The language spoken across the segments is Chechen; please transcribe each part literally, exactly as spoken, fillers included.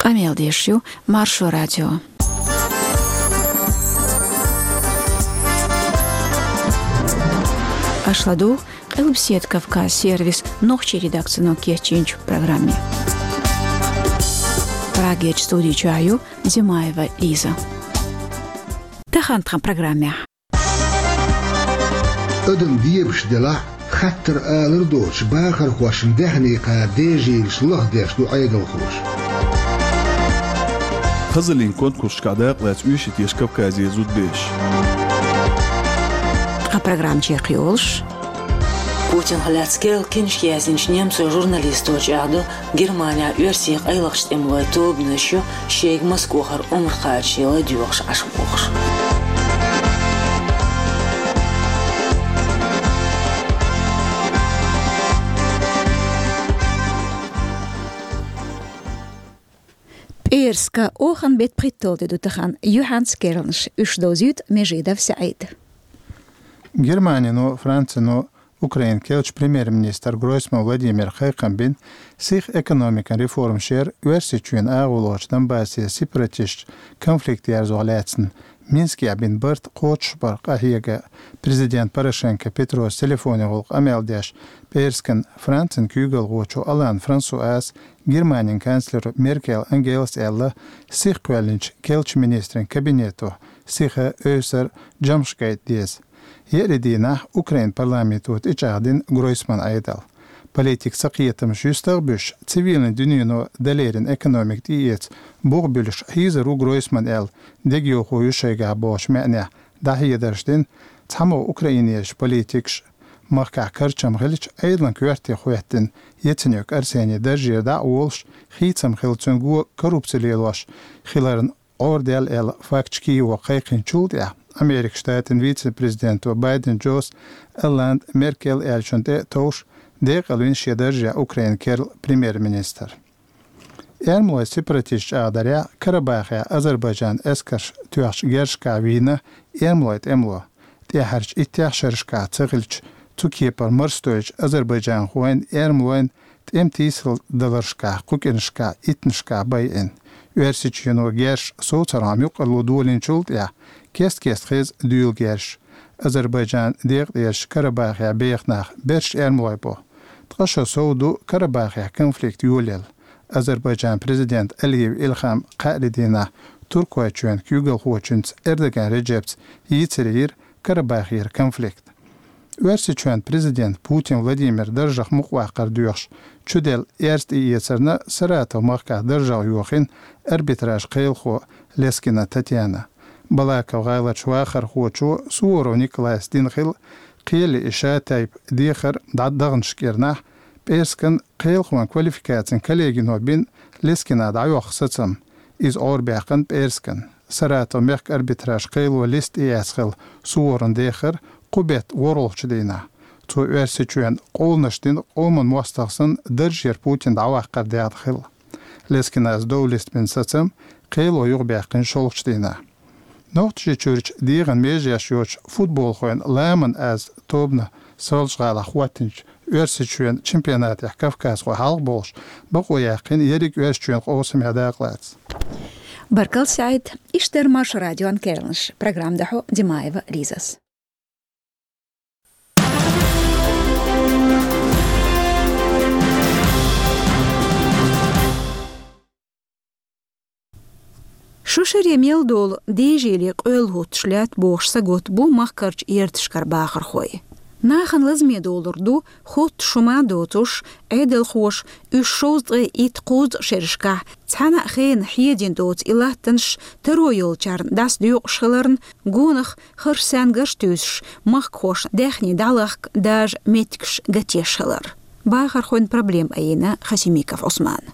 Къамел деш ю Маршо радио. Аша ладугӀу Къилбседа Кавказ сервисан нохчийн редакцино кечйинчу программе. Прагерчу студи чохь ю Димаева Лиза. Тахана тхан программехь. Адам бебаш делахь, хаттар алар доцуш, бахархошна даьхни кхара дежийлаш лахдеш ду Ӏедалхоша. Хазаллин конкурсашкахь дакъалаьцна оьшуш ю теша Кавказера зудабераш. Тхан программа чекхйолуш. Путинах лаьцна керла киншка яздинчу немцойн журналисто чӀагӀдо, Германехь оьрсийн къайлахчу тӀемалойн тобанаш ю шайга Москвахара омра кхача ладоьгӀуш Ӏаш бохуш. ПӀераска, оханан беттан пхийтталгӀа де ду тахана, юьхьанца керланаш, уьш довзуьйту Межидов СаӀида. Германино, Францино Украинан керлачу премьер-министра Гройсман Владимира кхайкхам бина, сиха экономикан реформаш яр Оьрсийчоьнан агӀо лоручу Донбассера сепаратисташца конфликт ерзорах лаьцна Минскехь бина барт кхочушбарх къахьега. Президента Порошенко Петрос телефонан гӀуллакхах къамел деш, пӀераскан Францин куьйгалхочо Олланд Франсуас Германин канцлеро Меркель Ангелас аьлла, сиха кхоьллинчу керлачу министрийн кабинето сиха, ойсур, жамӀаш гайта деза. Еарин дийнахь Украинан парламенто тӀечӀагӀдина Гройсманан Ӏедал. Политикан цакхетамаш юьстах а буьсуш, цивилан дуьнено дан лерина экономика тӀеэца бух буьллуш хьийзар ву Гройсман аьлла, дегайовхо ю шайгахь бохучу маьӀнехь дӀахьедарш дина цхьамогӀа украинерчу политикаша. Махкахь карчам хилча, Ӏедалан коьрте хӀоьттина Яценюк Арсений даржера дӀа а волуш, хийцам хилла цуьнан го коррупци лелош хиларна Ӏорадаьлла аьлла факташ Киево кхайкхинчул тӀаьхьа, Американ Штатийн вице-президенто Байден Джос Олланд, Меркель аьллачунна тӀе а товш, декъалвина шен даржехь Украинан керла премьер-министр. Эрмалойн сепаратисташ чӀагӀдарехь, Карабахехь Азербайджанан эскарша тоьхначу герзашкахь вийна эрмалойн тӀемало. ТӀаьхьарчу иттех шерашкахь ца хилча, цу кепара марсадойтучу азербайджанхойн, эрмалойн тӀеман тийсалдаларшкахь, кху кӀирнашкахь, иттанашкахь байина. Оьрсийчоьно герзаш совцархьама юкъарло долийначул тӀаьхьа кест-кеста хеза дуьйла герзаш. Азербайджанан декъа тӀерачу Карабахехь беха нах берш эрмалой бу. Ткъа шо сов ду Карабахехь конфликт йолаелла. Азербайджанан президента Алиев Илхама кхаарин дийнахь Туркойчоьнан куьйгалхочуьнца Эрдоган Реджепца йийцаре йира Карабахера конфликт. Оьрсийчоьнан президента Путин Владимира даржах мукъаваккхар доьхуш чуделла эрз тӀеэцарна Саратов махкахь даржах йохийна арбитражан кхелахо Лескина Татьяна. Балаков-ГӀаларчу вахархочо Суворов Николайс дина хилла кхеле и шатайпа дехар дӀадаханчу кӀирнахь, пӀераскан кхелахойн квалификацин коллегино бина Лескина дӀайоккху сацам. Иза Ӏорабаьккхина пӀераскан. Саратов мехкан арбитражан кхело листа тӀеэцна хилла Суворовн дехар кху беттан ворхӀалгӀачу дийнахь. Цо Оьрсийчоьнна къоланаш дина къоман мостагӀ санна даржера Путин дӀаваккхар даьхна хилла. Лескинас дов листбина сацам кхело юхабаьккхина шолгӀачу дийнахь. Нохчийчуьрчу дегӀан межеш йоцучу футболхойн «Ламан аз» тобано Соьлжа-ГӀалахь хӀоттийначу Оьрсийчоьнан чемпионатехь кавказхой хьалха болуш бакъо яьккхина ерриг Оьрсийчоьнан къовсамехь дакъалаца. Баркалла, СаӀид. Иштта дара Маршо радион керланаш. Программа дӀахьо Димаева Лизас. Шо шаре мел долу дежийле къоьлла хӀуттуш лаьтта бохуш сагатта бу махкарчу ярташкара бахархой. Нахана лазаме долур ду хӀоттуш хӀума доцуш, Ӏедалхоша уьш шовзткъе итт-кхузткъа шерашкахь цхьана а хенахь хьедина доцу и латтанаш таро йолчарна дӀасадоькъуш хиларна, гонах харш саьнгарш туьйсуш, махкахошна даьхни дӀалахка дажа меттигаш гатеш хилар. Бахархойн проблема айина Хасимиков Ӏусмана.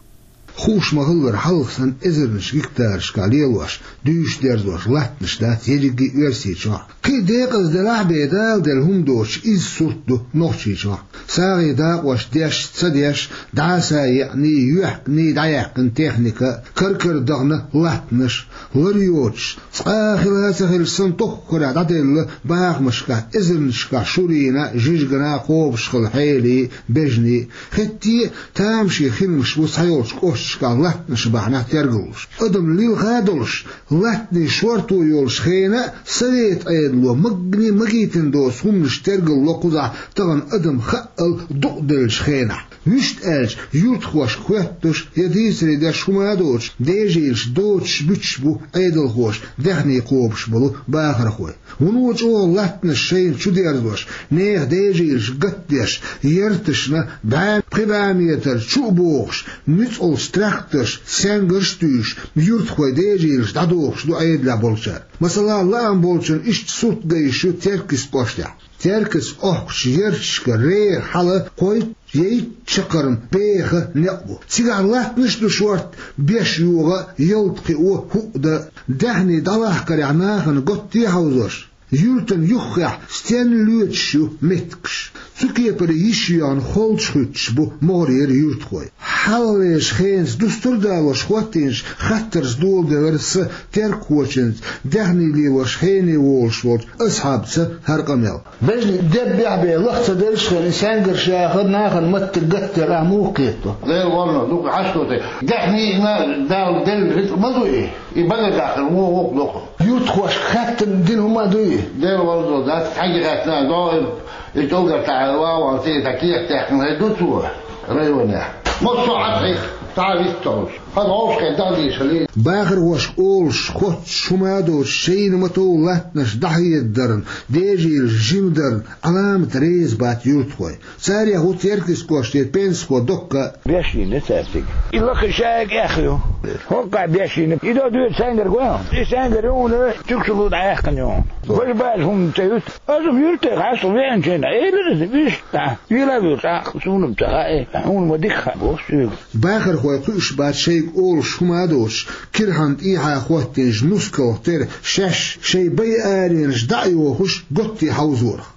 Хууш ма-хиллара, хьалха санна эзарнаш гектарашкахь лелош, дуьйш дерзош латтанаш дац ерриге а Оьрсийчохь. Кхин а декъазделахь бен, Дала делла хӀума доцуш, изза сурт ду Нохчийчохь. СагӀийн дакъош деш, ца деш, дӀаса а еъний, йоьхкиний дӀаяьккхина техника, кар-кара дахана латтанаш, лар йоцуш, цкъа а хила а ца хилча санна, тоххара дӀаделла бахамашкахь, эзарнашкахь шурина, жижигана кхобуш хилла хьелий, бежний. ХӀетте а тамашийна хиламаш бу цхьайолчу кӀошташ Шкал латтанаш бахьанехь тергаллуш. Адам лилха а долуш, латтанийн шорто йолуш хенахь а, совет Ӏедало магни магийтина доцу хӀуманаш тергало кхузахь тахана адам хаъал дукъделлачу хенахь. Вуьшта аьлча, юьртахошка хоьттуш я дийцаре деш хӀума а доцуш, дежийлаш доцуш буьтуш бу Ӏедалхоша даьхни кхобуш болу бахархой. Вуно чӀогӀа латтанаш шайна чу дерзош, нехан дежийлаш гатдеш, ярташна бӀе, пхи бӀе метр чу а бохуш, нуьцкъалц тракторш, сенгарш а туьйсуш, юьртахой дежийлаш дӀадохуш ду Ӏедалехь болчара. Масала, лаам болчун иштта сурт ган йиш ю Теркйист кӀоштехь. Теркйист охкучу ярташка реха хьала кхойтта я итт чаккхарма беха некъ бу. Цигахь латтанаш а ду шорта, беш йогӀа, ялта кхио, хӀуъа дан. Даьхни дӀалахкарехь нахана готте а хьовзош, юьртана юххехь стенна лоьцуш ю меттигаш. Цу кепара йиш йоьгӀна холчу хуьттуш бу могӀарера юьртахой. Хьалхалерчу хенаца дустар а далош хӀоттийначу хаттарца доладелира сан теркхочуьнца, даьхни лелош хене волуш волчу Асхьабца хӀара къамел. Бежнийн деббехь бен лаха ца деллачу хенахь, и сенгарш яхар нахана маттиг гатдер ахь муха кхетто? Дела волло, дукха хьашт ву те. Даьхни а Дала делла рицкъ ма ду и. И бага дахар вон воккха доккху. Юьртахошка хаьттина дина хӀума а дуй? Дела волло, дац, хьаьнга хаьттина, догӀу и, и тӀулгар тӀехь ван ван цӀе тӀе кехат даьккхина хир ду цо районехь. Массо а Ӏад хьех, тӀе вист тохуш. Хьан гӀовшахе дагадийша хилий? Бахархошка олуш, хоттуш хӀума а доцуш, шайна ма-тов латтанаш дӀахьедарна, дежийлаш жимадарна Ӏаламат реза бац юьртахой. Царех ву Теркйист кӀоште пенсихо Докка. Беш йина цаьрцига. И лакха шайга эхь ю. ХӀоккхахь беш йина. И до дуьйцу сенгар гой хьуна. И сенгар ю хьуна, чуькшу гул дӀаяьккхина ю хьуна. Важа бажа хӀума ца юьту. Аса юьртахь хьаста веанчийна, элира иза вуьшта. Вила вуьртахь, суна ца хаьа, хьуна ма дика хаьа, боху соьга. Бахархой кхуьуш бац шайга олуш хӀума а доцуш, кирхьанна тӀехьа хӀоттийначу нускалх тера шаьш шайн бай аренаш дӀа а йохуш, готте хьовзорах.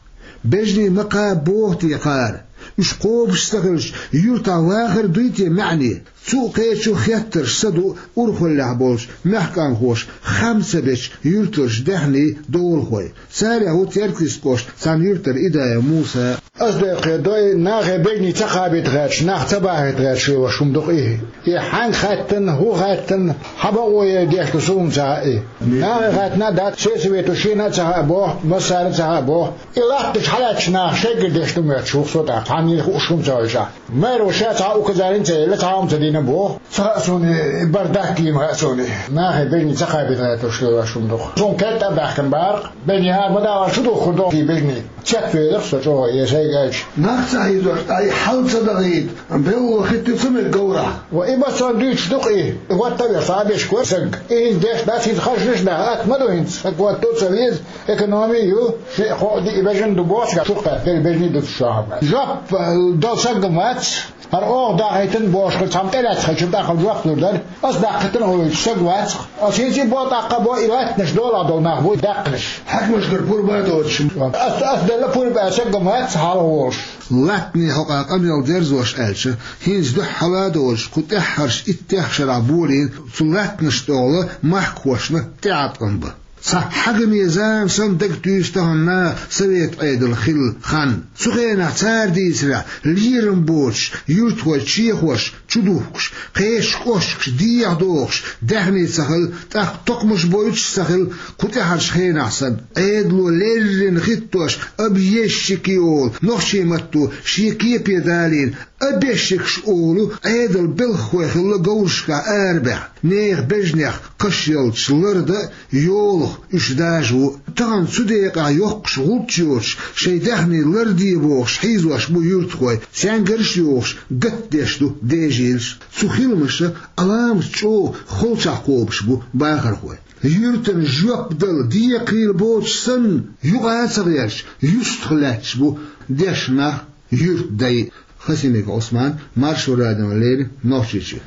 Бежнийн ма кхаба боху те кхара? Уьш кхобуш ца хилча, юьртахь вахар дуй те маьӀне? Цу а кхечу хеттарш са ду урхаллехь болчу мехкан хӀош хам ца бечу юьртарчу даьхни долахой. Царех ву Теркйист кӀошта цхьана юьртара Идаев Муса. Ас декхе дой, нахе бегний ца кхабийта гӀерташ, нах ца бахийта гӀерташ лелош хӀума ду-кх и. И хьаьнга хаьттина, хӀун хаьттина, хьан бакъо яй деш ду суна ца хаьа и. Нахе хаьттина а дац, сельсовето шена а ца хаьа боху, массарна а ца хаьа боху. И латташ хьалаьтташ нах шеггара деш ду моьттуш ву-кх со тӀаккха, цхьанна хууш хӀума ца хилча. Мэро ша цхьа указани ца елла, цхьа хӀума ца дина боху. Ца хаьа суна, и бар даккхийма хаьа суна. Нахе бегний ца кхабийта гӀерташ лелош хӀума ду-кх. Суна кхетта а баьхкина бара-кх. Бегний хӀара ма дахара шу духкур ду-кх и бегний. Цецвелира со чӀогӀа, я сайга аьлча. Нах ца хьийзош, ткъа и хьал ца дахийта, белло хӀиттий ца мега говрахь? Ва и массо а дуьйцуш ду-кх и. ХӀотта а веш, схьа а беш кора саг. И хӀинца деш дац, хӀинца хазанаш даха, атта ма ду хӀинца. Саг хӀотто а ца веза, экономи а ю, шиъ-кхоъ-диъ бежана ду боху, шух кхаьчна, бежний ду шу шуьга. Жоп, э, дала саг-м вац. ХӀара оха дахийтина бохуш хилча, цхьамма тӀелаьцна хилча, тӀаккха жоп лур дара. Ас даккхийтина а вуьйцу, саг вац. Ас хӀинца и бо тӀаккха бо, и латтанаш долахь долу нах бу даьккхинарш. Хьаькамашкара пурба а доцуш. Ас, ас делла пурба а, саг-м вац хьалха волуш. Латтанийн хьокъехь къамел дерзош аьлча, хӀинца дуьххьара а доцуш, кху тӀаьххьарчу иттех шарахь болийна цу латтанашна тӀехула махкахошна тӀеӀаткъам бан. Цхьа хьагаме зама санна дагатуьйсу тахана наха совет Ӏедал хилла хан. Цу хенахь цара дийцарехь, лерам боцуш, юьртахой чехош чудухкуш, кхечу кӀошташ дехьадохуш, даьхни ца хилла, тӀаккха токхамаш бойтуш а ца хилла, кху тӀаьхьарчу хенахь санна, Ӏедало леррина хӀиттош, объездчики олу, нохчийн матто шен кепе далийна, объездчикаш олу Ӏедалан белхахой хилла говрашкахь арабаьхна. Нехан бежнех кхаш ялташ лардан а, йолах уьш дажа ву. Тахана цу декъехь йоккхуш гӀулч йоцуш, шайн даьхни ларде бохуш хьийзош бу юьртахой, сенгарш а йохуш, гатдеш ду дежийлаш. Цу хиламаша Ӏаламат чӀогӀа холчахь кхобуш бу бахархой. Юьртана жоп дала декхийла боцуш санна, юкъа а ца гӀерташ, юьстах лаьтташ бу дешна нах, юьртдай. Хасимиков Ӏусман, Маршо радиона леррина, Нохчийчоь.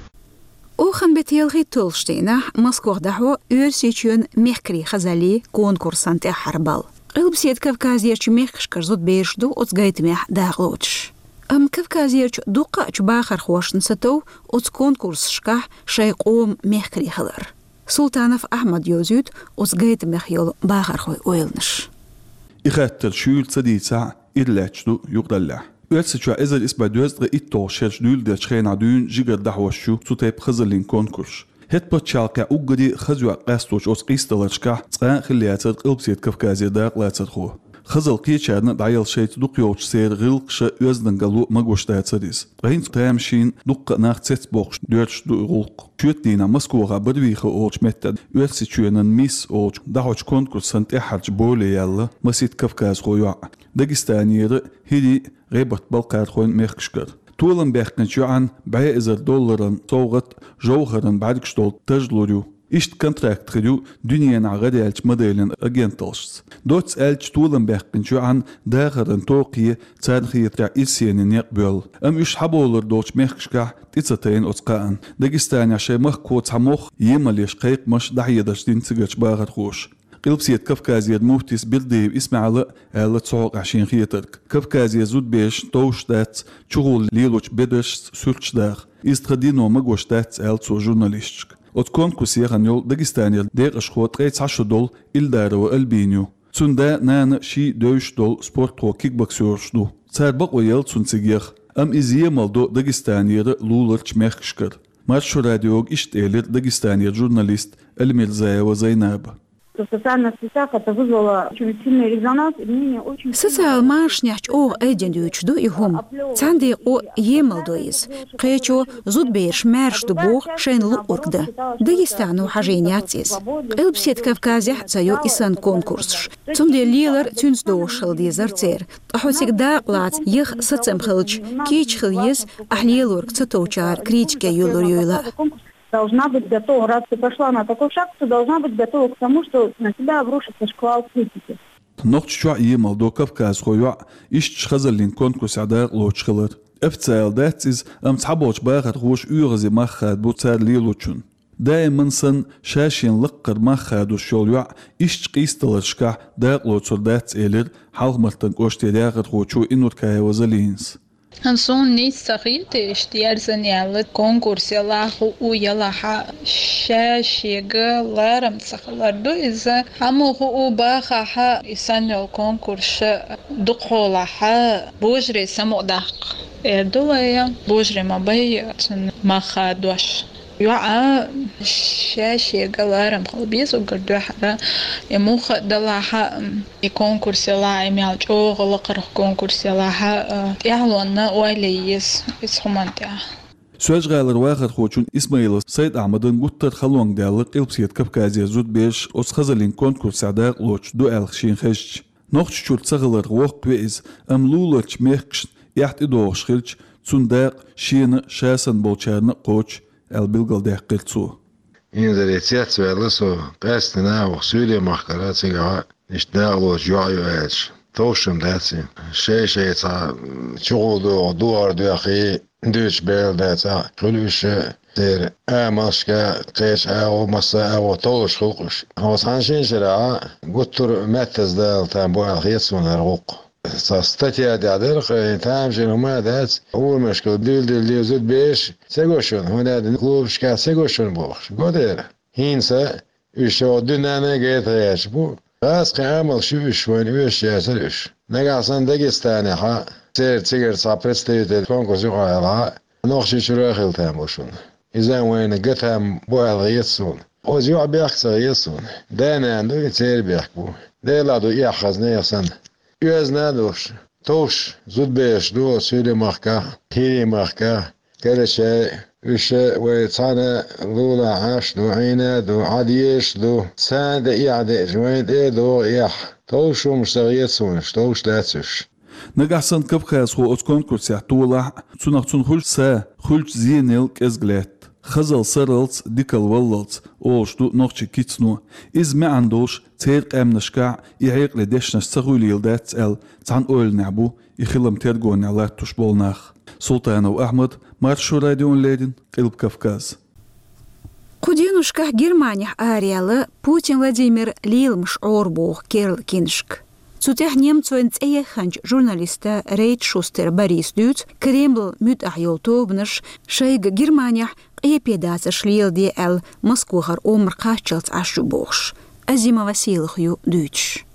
Охан бетта ялхитталгӀачу дийнахь Москвахь дӀахьо Оьрсийчоьнан мехкарийн хазаллин конкурсан тӀаьххьара балл. Къилбаседа Кавказерчу мехкашкара зудабераш ду оцу гайтамехь дакъалоцуш. Амма Кавказерчу дуккхаъчу бахархошна сатов оцу конкурсашкахь шайн къоман мехкарий хилар. Султанов Ахьмада йовзуьйту оцу гайтамех йолу бахархойн ойланаш. И хаттар шуьйра ца дийцахь, ира лаьтташ ду юкъараллехь. Оьрсийчохь эзар исс бӀе дезткъе итталгӀачу шераш дуьйладелчу хенахь дуьйна жигара дӀахьош ю цу тайпа хазаллин конкурсаш. ХӀетта пачхьалкхехь уггаре хаза йоӀ къастош оцу къийсадаларшкахь цкъа а хилла яцара Къилбаседа Кавказера дакъалацархо. Хазалла кхечарна а дӀаяла шайца дукхайолчу церан гӀиллакхаша, оьздангалло магош дацара иза. Ткъа хӀинца тамашийна дуккха а нах цецбоккхуш доьрзуш ду и гӀуллакх. Шоьтан дийнахь Москвахь Барвиха олучу меттехь Оьрсийчоьнан «Мисс» олучу дӀахьочу конкурсан тӀаьххьарчу боле яьлла масийтта кавказхо йоӀ. Дагестанера, ХӀирийн, ГӀебарта-Балкхархойн мехкашкара. Толам баьккхинчу йоӀана бӀе эзар долларан совгӀат, жовхӀаран бӀаьргаш долу таж лур ю. Иштта контракт хир ю дуьненахь гӀараяьллачу моделийн агенталлашца. Доцца аьлча, толам баьккхинчу йоӀана дахаран токхе, царна хетарехь, ирсене некъ боьлла. Амма уьш схьабовлар долчу мехкашкахь тӀе ца тайна оцу кхаанна. Дагестанехь шайн махкахо цхьа мох емал еш кхайкхамаш, дӀахьедарш дина цигарчу бахархоша. Къилбаседа Кавказера муфтис Бердиев ИсмаьӀала аьлла цу хьокъехь шен хетарг. Кавказера зудаберашна товш дац чугӀолла лелочу бедаршца суьрташ даха. Иза тхан дино магош дац, аьлла цо журналисташка. Оцу конкурсе яхана йолу Дагестанера декъашхо ткъе цхьа шо долу Ильдарова Альбина ю. Цуьнан да а, нана а ший девзаш долу спортхой, кикбоксераш ду. Цара бакъо елла цунна цига яха, амма иза емал до Дагестанера, луларчу мехкашкара. Маршо радиога иштта элира Дагестанера журналист Альмирзаева Зайнаба. В социальных сетях это вызвало очень сильный резонанс, и мнение очень сильно... Социалан машанехь чӀогӀа айдина дуьйцуш ду и хӀума. Цхьана декъо емал до иза. Кхечо зудабераш маьрша ду боху шайна луъург дан. Дагестано хьажийна яц иза. Къилбаседа Кавказехь а ца ю и санна конкурсаш. Цундела лелар цуьнца догӀуш хила дезара церан. Ткъа хьо цига дакъа лаца яха сацам хилча, кийча хила еза, ахь лелорг ца товчара критике юьллур юйла а. Должна быть готова. Раз ты пошла на такой шаг, ты должна быть готова к тому, что на тебя обрушится шквал критики. Нохчийчохь а емал до кавказхо йоӀ иштачу хазаллин конкурсехь дакъа лоцуш хилар. Официалан дац иза, амма цхьаболчу бахархоша оьгӀазе мах хадабо цара лелочунна. Даиман санна, ша-шена лаккхара мах хадош йолу йоӀ иштачу къийсадаларшкахь дакъа лоцур дац, элира Хьалха-Мартан кӀоштера яхархочо Инуркаева Залинас. Суна нийса ца хета иштта ерзана яьлла, конкурс ялахь, хӀуъу ялахь, ша-шега ларам ца хилар ду иза. Амма хӀуъу бахахь, и санна йолу конкурсаш дукхахьолахь, божарий самукъадаккха эр ду вай, божарий ма бай цунна мах хадош. ЙоӀ ша-шега ларам хила беза уггар дуьххьара. И муха а далахь, и конкурс ялахь, и мел чӀогӀа лакхара конкурс ялахь, тӀаьхьалонна ойла е еза иза хӀуманна тӀехь. Соьлжа-ГӀалара вахархочун Исмаилов Сайд-Ахьмадан гуттар а халонга даьлла Къилбаседа Кавказера зудабераш оцу хазаллин конкурсехь дакъа лоцуш ду аьлла шена хезча. Нохчийчуьра ца хиларх воккхаве иза, амма луларчу мехкашна эхь тӀедогӀуш хилча, цуьнан дакъа шена а, ша санна болчарна а кхочу, аьлла билгалдаьккхира цо. Инзаре цецваьлла со, къаьсттина оха Суьйре махкара цигахь иштта дакъа лоцуш йоӀ ю аьлча, товш-м дац и. Шай-шай цхьа чугӀолла догӀу духар доьхий, дуьйцуш бер дац, а, хуьлу уьш церан амалшка, кхечу агӀо, массо а агӀо толлуш хуьлу-кх уьш. Хьо цхьана шина шарахь гуттар а меттаза далийтина бу аьлла хета суна хӀара гӀуллакх. Цхьа статья тӀехь дара-кх, и тамашийна хӀума а дац, урамашкахь дуьйладелла зудабераш ца го шуна, хӀунда аьлча клубашкахь ца го шуна бохуш. Го дера. ХӀинца уьш оха дуьненна а гайта гӀерташ бу. ГӀазкхийн амалш ю уьш, вайна оьшуш яцара уьш. Нагахь санна Дагестанехь церан цигара цхьа представитель конкурс юкъахь ялахь, Нохчийчуьра а хила там бу шуна. Иза вайна ган там бу аьлла хета суна. Оцу йоӀан бехк ца хета суна. Да-нана ду и, церан бехк бу. Делахь ду эхь хаза, нехан санна. Оьзна а долуш, товш зудабераш ду оцу Суьйре махкахь, ХӀирийн махкахь, Карачай, уьш вай цхьаьна лулахь Ӏаш ду, Ӏийна а ду, Ӏан дезаш а ду. Царна тӀе эхь деъча, вайна тӀе а догӀу эхь. Товш хӀуманаш ца хета суна уьш, товш дац уьш. Нагахь санна кавказхо оцу конкурсехь толахь а, цунах цунна хуьлу са, хуьлучу зенал кӀезиг лаьтта. Хазалла сарралц, дикалла валлалц, олуш ду нохчийн кицано. Иза маьӀна долуш церан къаьмнашкахь и хьекъале дешнаш ца хуьлийла дац аьлла, цхьана ойланехь бу и хилам тергонехь латтош болу нах. Султанов Ахьмад, Маршо радиона леррина, Къилба Кавказ. Кху деношкахь Германехь араяьлла Путин Владимир леламаш Ӏорабоху керла кинашка. Цу тӀехь немцойн цӀеяхханчу журналиста Рейтшустер Бориса дуьйцу Кремлал муьтӀахь йолу тобанаш шайга Германехь къепедацарш леладе аьлла, Москвахара омра кхаччалц Ӏаш ю бохуш. Азимова Сийлаха ю дуьйцуш.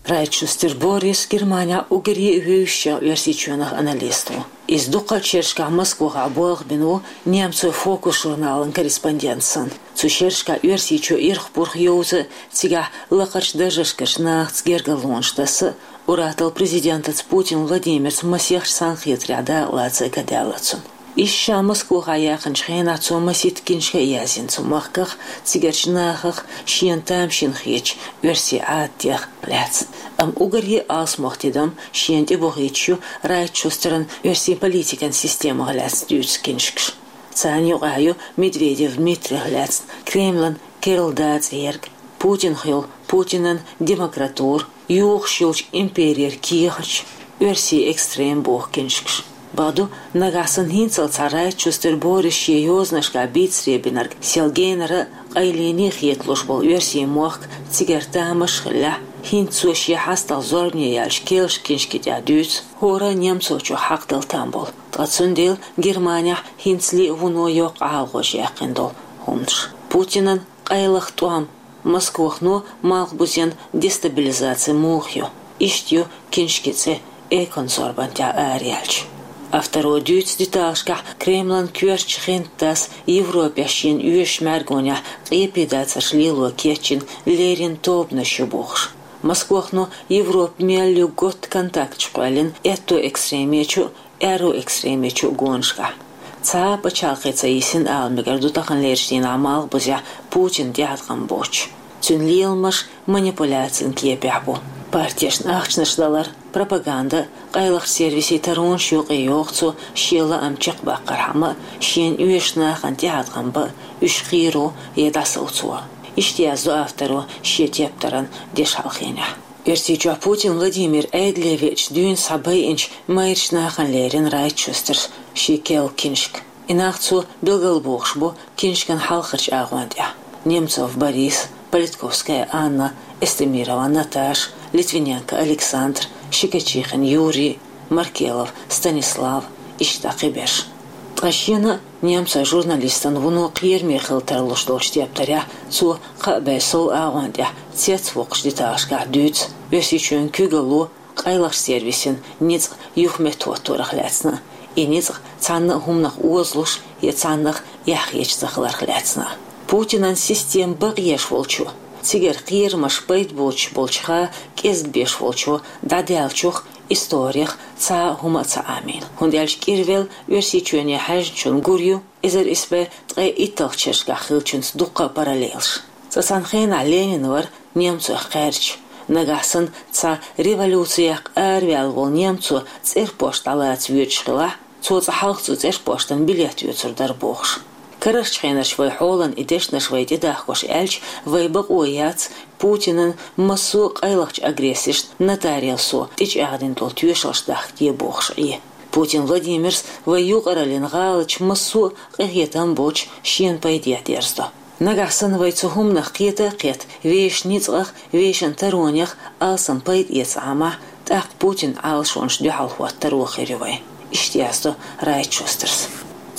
Райтшустер Борис Германехь уггаре а вевзачех Оьрсийчоьнах аналист ву. Иза дуккха а шерашкахь Москвахь болх бина ву немцойн «Фокус» журналан корреспондент санна. Цу шерашкахь Оьрсийчоь ирх-пурх йовза а, цигахь лакхарчу даржашкарчу нахаца гергарлонаш таса а, ур-атталла президентаца Путин Владимирца масех санна хетарехь дакъалаца а ка даьлла цунна. Иштта ша Москвахь яьккхинчу хенахь цо масийтта киншка а язйина цу махках, цигарчу нахах, шена тамашийна хетачу оьрсийн Ӏадатех лаьцна. Амма уггаре а алсамох тидам шена тӀебохуьйтуш ю Райтшустеран оьрсийн политикан системах лаьцна дуьйцу киншкаш. Царна юкъахь ю Медведев Дмитрих лаьцна «Кремлан керла дацӀа ерг», «Путин хилла», «Путинан демократура», «Юхуш йолчу имперера кехаташ», «Оьрсийн экстрем» боху киншкаш. Бакъду, нагахь санна хӀинццалц цхьа Райтшустер Борис шен йозанашкахь бийцаре бинарг сел генара а, къайлене а хеталуш болу оьрсийн мохк цигара тамаш а хиллехь, хӀинца цо шен хьастагӀа зорбане яьллачу керлачу киншки тӀехь дуьйцу хӀора а немцочух хьакхадала там болу, ткъа цундела Германехь хӀинцале а вуно йоккха ӀалагӀожа яьккхина долу хӀуманаш. Путинан къайлаха тӀом, Москвахано Малхбузен дестабилизаци муха ю. Иштта ю киншки цӀе экранан зорбан тӀехь араяьлча. Авторо дуьйцу деталашкахь Кремлан коьртачу хентас Европехь шена оьшучу мӀаьргонехь къепедацарш лело кечйина леррина тобанаш ю бохуш. Москвахано Европа мел ю готта контакташ кхоьллина аьтто экстремечу а, аьрру экстремечу а гонашкахь. Цхьа а пачхьалкхе ца йисина ала мегар ду таханлерчу дийнахь Малхбузехь Путинан тӀеӀаткъам боцуш. Цуьнан леламаш манипуляцин кепехь бу. Партешна ахчанаш далар, пропаганда, къайлахчу сервисийн таронаш юкъе йоху цо шен лаам чекхбаккхархьама а, шена оьшучу нахана тӀеӀаткъам бан а, уьш кхеро я дӀасовцо. Иштта яздо авторо шен тептаран дешхьалхенехь. Оьрсийчохь Путин Владимир Ӏедале веача дуьйна схьабайинчу майрачу нахана лерина Райтшустерс шен керла киншка. И нах цо билгалбохуш бу киншкан хьалхарчу агӀон тӀехь: Немцов Борис, Политковская Анна, Эстемирова Наташа, Литвиненко Александр, Щекочихин Юрий, Маркелов Станислав, иштта кхиберш. Ткъа шена а немцойн журналистана вуно кхераме хила тарлуш долчу тептарехь цо кхаа бӀе сов агӀон тӀехь цецвоккхучу деталашкахь дуьйцу Оьрсийчоьнан куьйгалло къайлахчу сервисийн ницкъ юха меттахӀотторах лаьцна а, и ницкъ цхьанна а хӀуманах озалуш я цхьаннах эхь хеташ ца хиларх лаьцна а. Путинан система бакъ еш волчо, цигара кхерамаш пайда боцуш болчуха кӀезиг беш волчо дӀадаьллачух историх цхьа а хӀума а ца Ӏамийна, хӀунда аьлча кӀирвелла Оьрсийчоьне хьаьжначунна гур ю эзар исс бӀе ткъе итталгӀачу шерашкахь хиллачуьнца дуккха а параллелаш. Цкъа цхьана хенахь Ленин вара немцойх кхаьрдаш. Нагахь санна цхьа революцех араваьлла волу немцо цӀерпошт дӀалаца воьдуш хилахь, цо цкъа хьалха цу цӀерпоштана билет оьцур дара бохуш. Карарчу хенарчу вай хьолан и дешнаш вай тӀедахкош аьлча, вай бакъо яц Путинан массо а къайлахчу агрессешна нотариусо тӀечӀагӀдина долу тоьшаллаш дахка де бохуш Ӏе. Путин Владимирс вай юкъараллин гӀалаташ массо а къинхетам боцуш шена пайдехь дерзадо. Нагахь санна вай цу хӀуманах кхета а кхетта, вешан ницкъах, вешан таронех алсам пайда эца Ӏамахь, тӀаккха Путинан Ӏалашонаш дуьхьал хӀотта таро хир ю вайн. Иштта яздо Райтшустерс.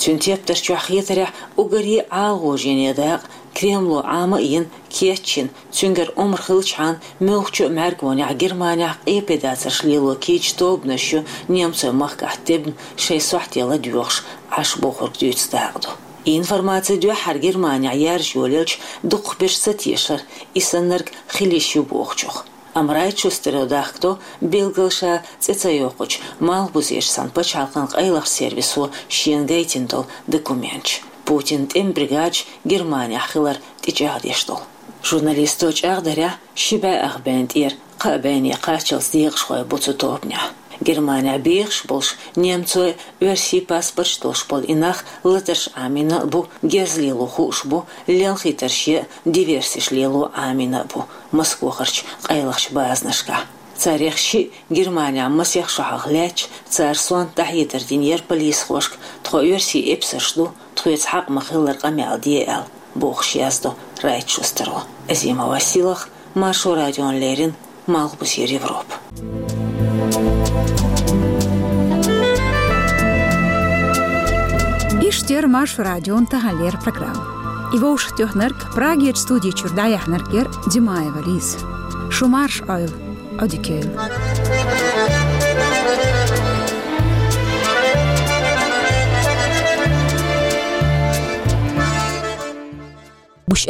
Цуьнан тептар чохь хетарехь уггаре а ӀалагӀожене дакъа Кремло Ӏама а йина, кечйина, цуьнгара омра хилчхьана, муьлххачу а мӀаьргонехь Германехь къепедацарш лело кийча тобанаш ю немцойн махкахь тебна шайн сохьте ладоьгӀуш Ӏаш бохург дуьйцу дакъа ду. И информаци дуьххьара Германехь яржа йолаелча, дукхахберш ца тешара, и саннарг хила йиш ю бохучух. Амма Райтшустеро дахкадо, билггал ша цӀе ца йоккхучу Малхбузерчу цхьана пачхьалкхан къайлахчу сервисо шена гайтина долу документаш, Путинан тӀеман бригадаш Германехь хилар тӀечӀагӀдеш долу. Журналисто чӀагӀдарехь, ши бӀе ах бен тӀера кхаа бене кхаччалц декъашхой бу цу тобанехь. Германехь бехаш болуш немцойн а, оьрсийн а паспорташ долуш болу и нах латарш Ӏамийна а бу, герз лело хууш бу, лелхийтарш я диверсеш лело Ӏамийна а бу Москвахарчу къайлахчу базанашкахь. Царех шиъ Германехь масех шо хьалха лаьтташ, цара сонта дӀахьедар динера полисхошка, тхо оьрсийн эпсарш ду, тхоьца хьакъ ма-хиллара къамел де аьлла, бохуш яздо Райтшустеро. Азимова Силах, Маршо радиона леррина, Малхбузера Европа. Иштта яра Маршо радион таханлера программа. И вовшахтоьхнарг, Прагерчу студи чуьра дӀаяьхьнарг яра Димаева Лиза. Шу марша Ӏойла! Odikeel. Bux